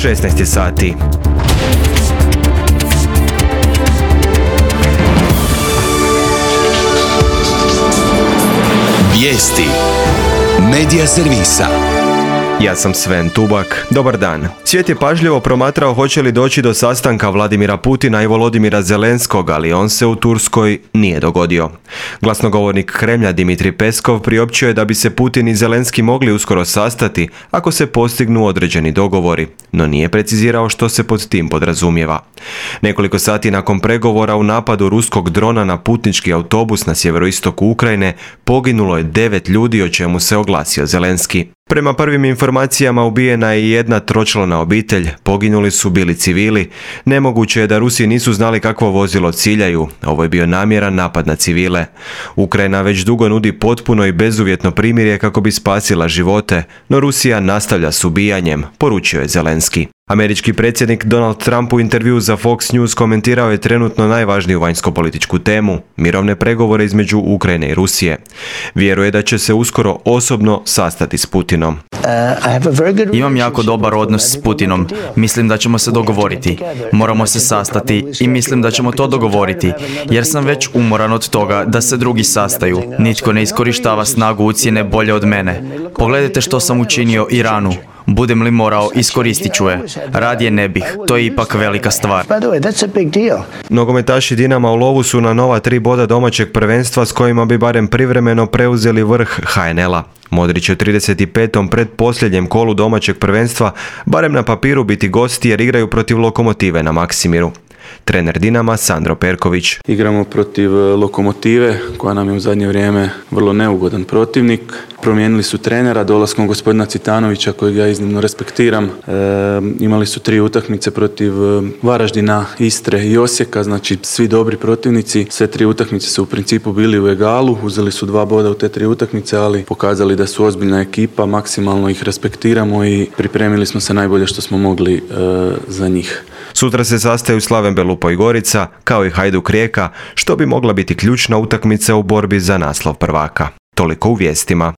16 sati. Vijesti Medija servisa. Ja sam Sven Tubak. Dobar dan. Svijet je pažljivo promatrao hoće li doći do sastanka Vladimira Putina i Volodimira Zelenskog, ali on se u Turskoj nije dogodio. Glasnogovornik Kremlja Dimitrij Peskov priopćio je da bi se Putin i Zelenski mogli uskoro sastati ako se postignu određeni dogovori, no nije precizirao što se pod tim podrazumijeva. Nekoliko sati nakon pregovora u napadu ruskog drona na putnički autobus na sjeveroistoku Ukrajine poginulo je 9 ljudi, o čemu se oglasio Zelenski. Prema prvim informacijama ubijena je jedna tročlana obitelj, poginuli su bili civili. Nemoguće je da Rusi nisu znali kakvo vozilo ciljaju. Ovo je bio namjeran napad na civile. Ukrajina već dugo nudi potpuno i bezuvjetno primirje kako bi spasila živote, no Rusija nastavlja s ubijanjem, poručio je Zelenski. Američki predsjednik Donald Trump u intervjuu za Fox News komentirao je trenutno najvažniju vanjskopolitičku temu, mirovne pregovore između Ukrajine i Rusije. Vjeruje da će se uskoro osobno sastati s Putinom. Imam jako dobar odnos s Putinom. Mislim da ćemo se dogovoriti. Moramo se sastati i mislim da ćemo to dogovoriti, jer sam već umoran od toga da se drugi sastaju. Nitko ne iskorištava snagu ucjene bolje od mene. Pogledajte što sam učinio Iranu. Budem li morao, iskoristit ću je. Radije ne bih. To je ipak velika stvar. Nogometaši Dinama u lovu su na nova 3 boda domaćeg prvenstva s kojima bi barem privremeno preuzeli vrh HNL-a. Modrić je u 35. predposljednjem kolu domaćeg prvenstva barem na papiru biti gosti jer igraju protiv Lokomotive na Maksimiru. Trener Dinama Sandro Perković. Igramo protiv Lokomotive koja nam je u zadnje vrijeme vrlo neugodan protivnik. Promijenili su trenera dolaskom gospodina Citanovića kojeg ja iznimno respektiram. Imali su 3 utakmice protiv Varaždina, Istre i Osijeka, znači svi dobri protivnici. Sve 3 utakmice su u principu bili u egalu, uzeli su 2 boda u te 3 utakmice, ali pokazali da su ozbiljna ekipa, maksimalno ih respektiramo i pripremili smo se najbolje što smo mogli za njih. Sutra se sastaju Slaven Belupo i Gorica, kao i Hajduk Rijeka, što bi mogla biti ključna utakmica u borbi za naslov prvaka. Toliko u vijestima.